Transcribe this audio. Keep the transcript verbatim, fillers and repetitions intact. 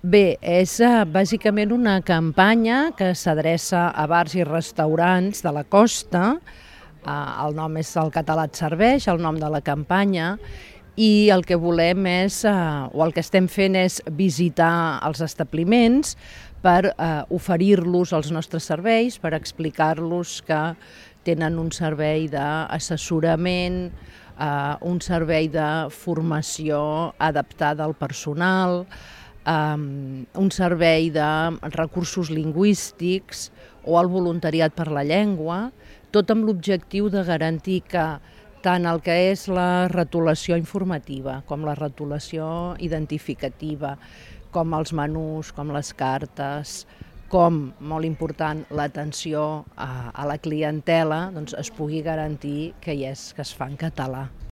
Bé, és eh, bàsicament una campanya que s'adreça a bars i restaurants de la costa. Eh, el nom és El català et serveix, el nom de la campanya, i el que volem és, eh, o el que estem fent és visitar els establiments per eh, oferir-los els nostres serveis, per explicar-los que tenen un servei d'assessorament, eh, un servei de formació adaptada al personal, um, un servei de recursos lingüístics o el voluntariat per la llengua, tot amb l'objectiu de garantir que tant el que és la retolació informativa com la retolació identificativa, com els menús, com les cartes, com, molt important, l'atenció a, a la clientela, doncs es pugui garantir que, hi és, que es fa en català.